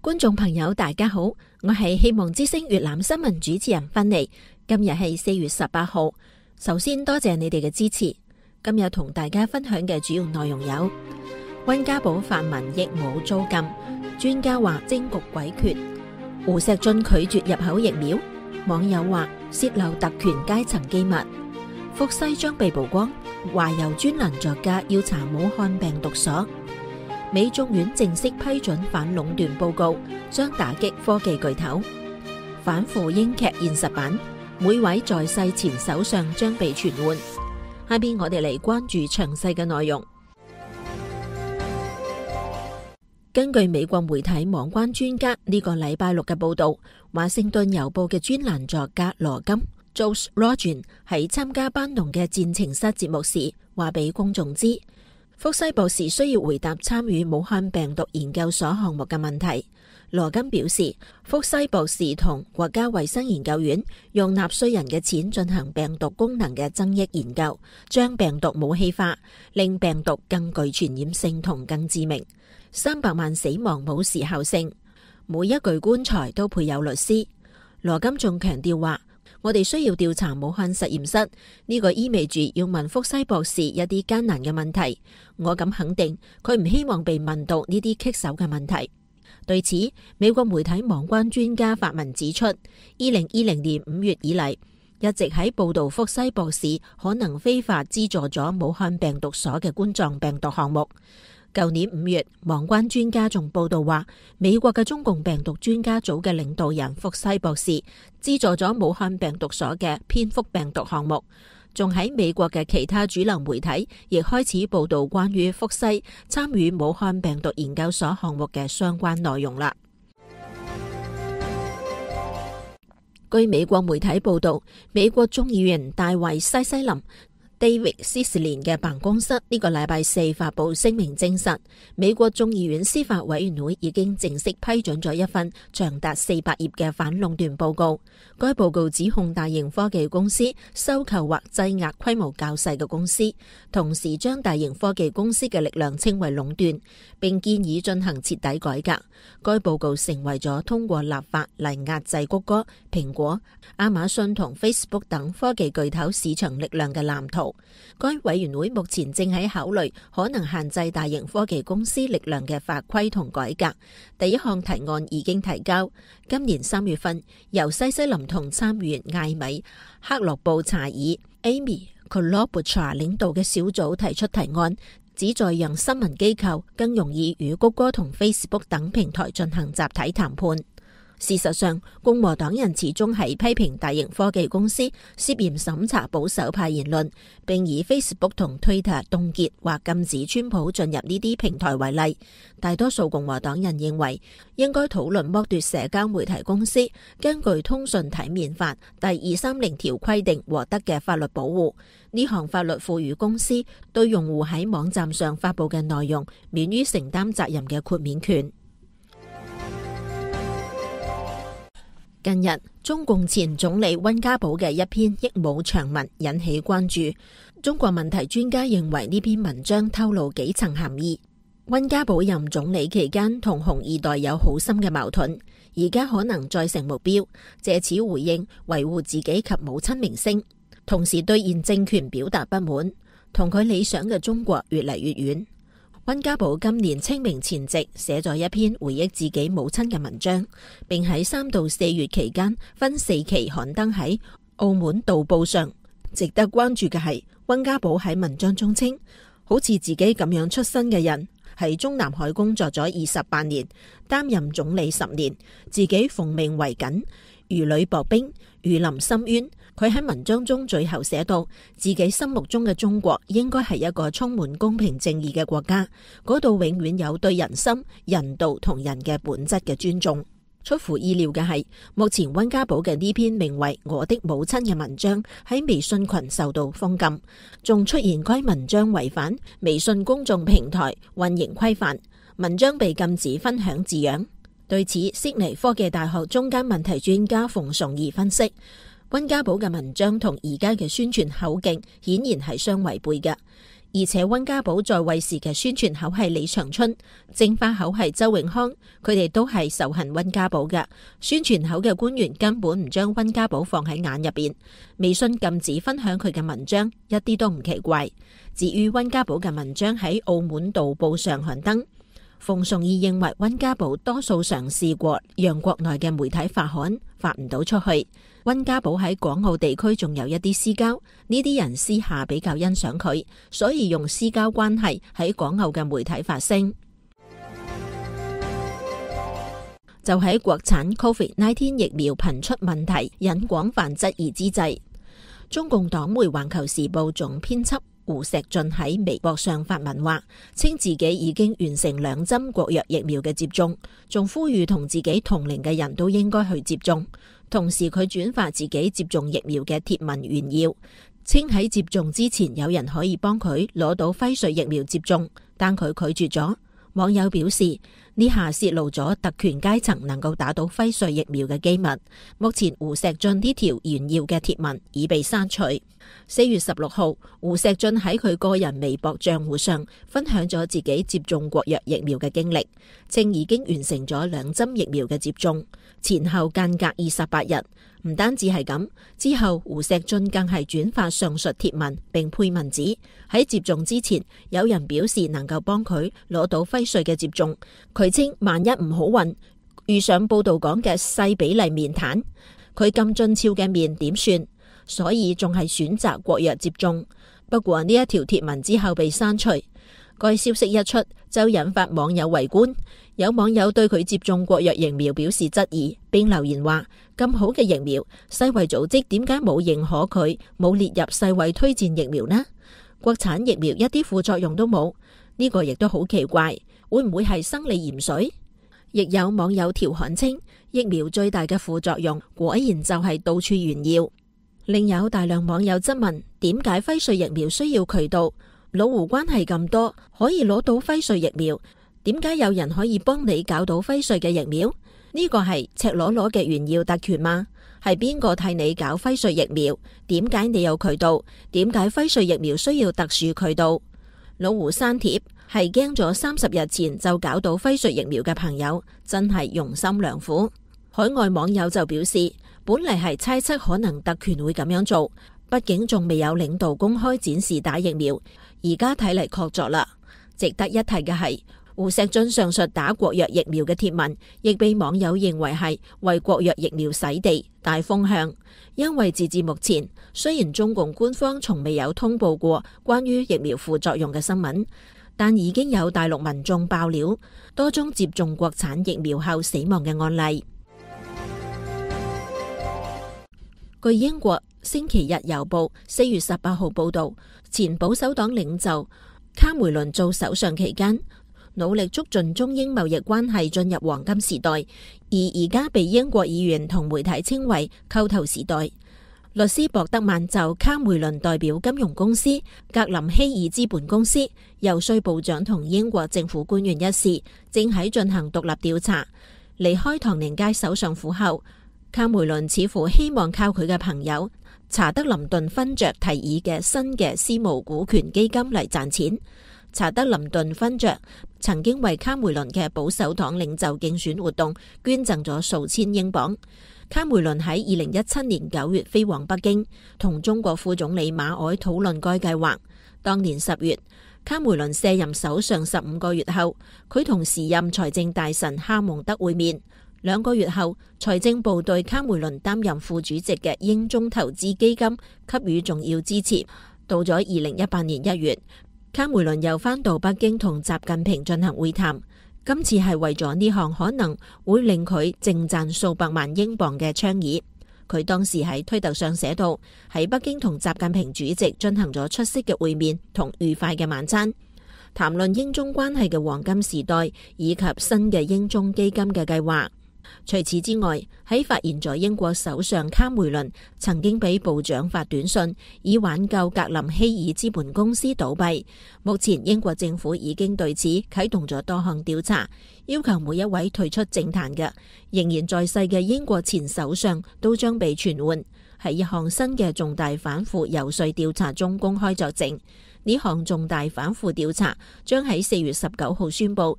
觀眾朋友大家好，我係希望之聲粵覽新聞主持人芬妮。今日係4月18號，首先多謝你哋嘅支持。今日同大家分享嘅主要內容有：溫家寶泛民亦冇遭禁，專家話政局詭譎；胡錫進拒絕入口疫苗，網友話洩漏特權階層機密；福西將被曝光，話由專欄作家要查武漢病毒所。美眾院正式批准反壟斷報告，將打擊科技巨頭。反腐英劇現實版，每位在世前首相將被傳喚。下邊我哋嚟關注詳細嘅內容。根據美國媒體網關專家呢個禮拜六嘅報道，華盛頓郵報嘅專欄作家羅金 Josh Rogin 喺參加班農嘅戰情室節目時，話俾公眾知，福西博士需要回答參與武漢病毒研究所項目嘅問題。羅金表示，福西博士同國家衛生研究院用納稅人嘅錢進行病毒功能嘅增益研究，將病毒武器化，令病毒更具傳染性同更致命。300萬死亡冇時效性，每一具棺材都配有律師。羅金仲強調話，我哋需要調查武漢實驗室，呢個意味住要問福西博士一啲艱難嘅問題。我敢肯定，佢唔希望被問到呢啲棘手嘅問題。對此，美國媒體網關專家發文指出，2020年5月以嚟，一直喺報道福西博士可能非法資助咗武漢病毒所嘅冠狀病毒項目。舊年5月，網關專家仲報道話，美國嘅中共病毒專家組嘅領導人福西博士資助咗武漢病毒所嘅蝙蝠病毒項目，仲喺美國嘅其他主流媒體亦開始報道關於福西參與武漢病毒研究所項目嘅相關內容啦。據美國媒體報道，美國眾議員大衛西西林David Cicilline 嘅辦公室呢個禮拜4發佈聲明證實，美國眾議院司法委員會已經正式批准咗一份長達400頁嘅反壟斷報告。該報告指控大型科技公司收購或擠壓規模較細嘅公司，同時將大型科技公司嘅力量稱為壟斷，並建議進行徹底改革。該報告成為咗通過立法嚟壓制谷歌、蘋果、亞馬遜同 Facebook 等科技巨頭市場力量嘅藍圖。該委員會目前正喺考慮可能限制大型科技公司力量嘅法規同改革。第一項提案已經提交，今年3月份由西西林同參議員艾米克洛布查爾 Amy Klobuchar 領導嘅小組提出提案，旨在讓新聞機構更容易與谷歌同 Facebook 等平台進行集體談判。事實上，共和黨人始終係批評大型科技公司涉嫌審查保守派言論，並以 Facebook 同 Twitter 凍結或禁止川普進入呢啲平台為例。大多數共和黨人認為應該討論剝奪社交媒體公司根據通訊體面法第230條規定獲得嘅法律保護。呢項法律賦予公司對用戶喺網站上發佈嘅內容免於承擔責任嘅豁免權。近日，中共前總理溫家寶嘅一篇益武長文引起關注。中國問題專家認為呢篇文章透露幾層含義。溫家寶任總理期間同紅二代有好深嘅矛盾，而家可能再成目標，借此回應維護自己及母親名聲，同時對現政權表達不滿，同佢理想嘅中國越嚟越遠。溫家寶今年清明前夕寫咗一篇回憶自己母親嘅文章，並喺3到4月期間分4期刊登喺澳門導報上。值得關注嘅係，溫家寶喺文章中稱，好似自己咁樣出身嘅人喺中南海工作咗28年，擔任總理10年，自己奉命為緊，如履薄冰，如臨深淵。佢喺文章中最後寫到，自己心目中嘅中國應該係一個充滿公平正義嘅國家，嗰度永遠有對人心、人道同人嘅本質嘅尊重。出乎意料嘅係，目前溫家寶嘅呢篇名為《我的母親》嘅文章喺微信群受到封禁，仲出現該文章違反微信公眾平台運營規範，文章被禁止分享字樣。對此，悉尼科技大學中間問題專家馮崇義分析，溫家寶嘅文章同而家嘅宣傳口徑顯然係相違背嘅。而且溫家寶在位時嘅宣傳口係李長春，正花口係周永康，佢哋都係仇恨溫家寶嘅。宣傳口嘅官員根本唔將溫家寶放喺眼入邊。微信禁止分享佢嘅文章，一啲都唔奇怪。至於溫家寶嘅文章喺澳門導報上刊登，馮崇義認為溫家寶多數嘗試過讓國內嘅媒體發刊，發唔到出去。溫家寶喺港澳地區仲有一啲私交，呢啲人私下比較欣賞佢，所以用私交關係喺港澳嘅媒體發聲。就喺國產 COVID-19 疫苗頻出問題引廣泛質疑之際，中共黨媒《環球時報》總編輯胡錫進喺微博上發文話，稱自己已經完成2針國藥疫苗嘅接種，仲呼籲同自己同齡嘅人都應該去接種。同時佢轉發自己接種疫苗嘅貼文炫耀，稱喺接種之前有人可以幫佢攞到輝瑞疫苗接種，但佢拒絕咗。網友表示，呢下泄露咗特權階層能夠打到輝瑞疫苗嘅機密。目前胡錫進呢條炫耀嘅貼文已被刪除。4月16號，胡錫進喺佢個人微博賬戶上分享咗自己接種國藥疫苗嘅經歷，稱已經完成咗2針疫苗嘅接種，前後間隔28日。唔單止係咁，之後胡錫進更係轉發上述貼文，並配文指喺接種之前有人表示能夠幫佢攞到輝瑞嘅接種，佢稱萬一唔好運遇上報道講嘅細比例面癱，佢咁俊俏嘅面點算？所以仲係選擇國藥接種。不過呢一條貼文之後被刪除。該消息一出就引發網友圍觀，有網友對佢接種國藥疫苗表示質疑，並留言話：咁好嘅疫苗，世衛組織點解冇認可佢，冇列入世衛推薦疫苗呢？國產疫苗一啲副作用都冇，呢個亦都好奇怪，會唔會係生理鹽水？亦有網友調侃稱，疫苗最大嘅副作用果然就係到處炫耀。另有大量網友質問，點解輝瑞疫苗需要渠道？老胡關係咁多，可以攞到輝瑞疫苗，點解有人可以幫你搞到輝瑞嘅疫苗？呢個係赤裸裸嘅炫耀特權嗎？係邊個替你搞輝瑞疫苗？點解你有渠道？點解輝瑞疫苗需要特殊渠道？老胡刪帖係驚咗30日前就搞到輝瑞疫苗嘅朋友，真係用心良苦。海外網友就表示，本嚟係猜測可能特權會咁樣做，畢竟仲未有領導公開展示打疫苗，而家睇嚟確鑿啦。值得一提嘅係，胡錫進上述打國藥疫苗嘅貼文，亦被網友認為係為國藥疫苗洗地帶風向。因為截至目前，雖然中共官方從未有通報過關於疫苗副作用嘅新聞，但已經有大陸民眾爆料多宗接種國產疫苗後死亡嘅案例。據英國星期日郵報4月18號報道，前保守黨領袖卡梅倫做首相期間，努力促進中英貿易關係進入黃金時代，而而家被英國議員同媒體稱為叩頭時代。律師博德曼就卡梅倫代表金融公司格林希爾資本公司遊說部長同英國政府官員一事，正喺進行獨立調查。離開唐寧街首相府後，卡梅倫似乎希望靠佢嘅朋友查德林頓勳爵提議嘅新嘅私募股權基金嚟賺錢。查德林頓勳爵曾經為卡梅倫嘅保守黨領袖競選活動捐贈咗數千英鎊。卡梅倫喺2017年9月飛往北京，同中國副總理馬凱討論該計劃。當年10月，卡梅倫卸任首相15個月後，佢同時任財政大臣哈蒙德會面。2個月後，財政部對卡梅倫擔任副主席嘅英中投資基金給予重要支持。到咗2018年1月，卡梅倫又返到北京同習近平進行會談，今次係為咗呢項可能會令佢淨賺數百萬英鎊嘅倡議。佢當時喺推特上寫到，喺北京同習近平主席進行咗出色嘅會面同愉快嘅晚餐，談論英中關係嘅黃金時代以及新嘅英中基金嘅計劃。除此之外，喺發現咗英國首相卡梅倫曾經俾部長發短信以挽救格林希爾資本公司倒閉，目前英國政府已經對此啟動咗多項調查，要求每一位退出政壇嘅仍然在世嘅英國前首相都將被傳喚。喺一項新嘅重大反腐遊說調查中公開作證。呢項重大反腐調查將喺4月19號宣佈。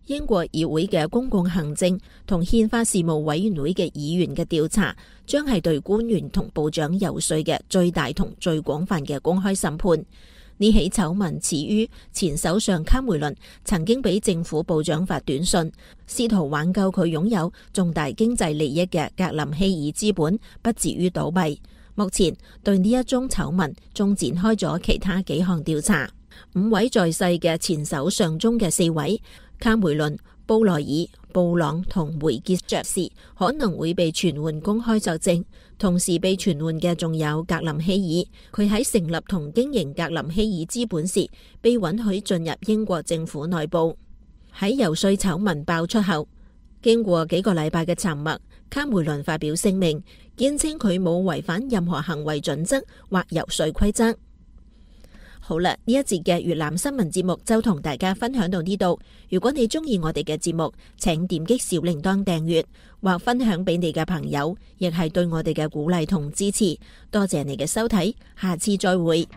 英國議會嘅公共行政同憲法事務委員會嘅議員嘅調查，將係對官員同部長游說嘅最大同最廣泛嘅公開審判。呢起醜聞始於前首相卡梅倫曾經俾政府部長發短信，試圖挽救佢擁有重大經濟利益嘅格林希爾資本不至於倒閉。目前對呢一宗醜聞仲展開咗其他幾項調查。5位在世嘅前首相中嘅4位，卡梅倫、布萊爾、布朗同梅傑爵士可能會被傳喚公開作證。同時被傳喚嘅仲有格林希爾，佢喺成立同經營格林希爾資本時被允許進入英國政府內部。喺游說醜聞爆出後，經過幾個禮拜嘅沉默，卡梅倫發表聲明，堅稱佢冇違反任何行為準則或游說規則。好啦，呢一節嘅粵覽新聞節目就同大家分享到呢度。如果你中意我哋嘅節目，請點擊小鈴鐺訂閱或分享俾你嘅朋友，亦係對我哋嘅鼓勵同支持。多謝你嘅收睇，下次再會。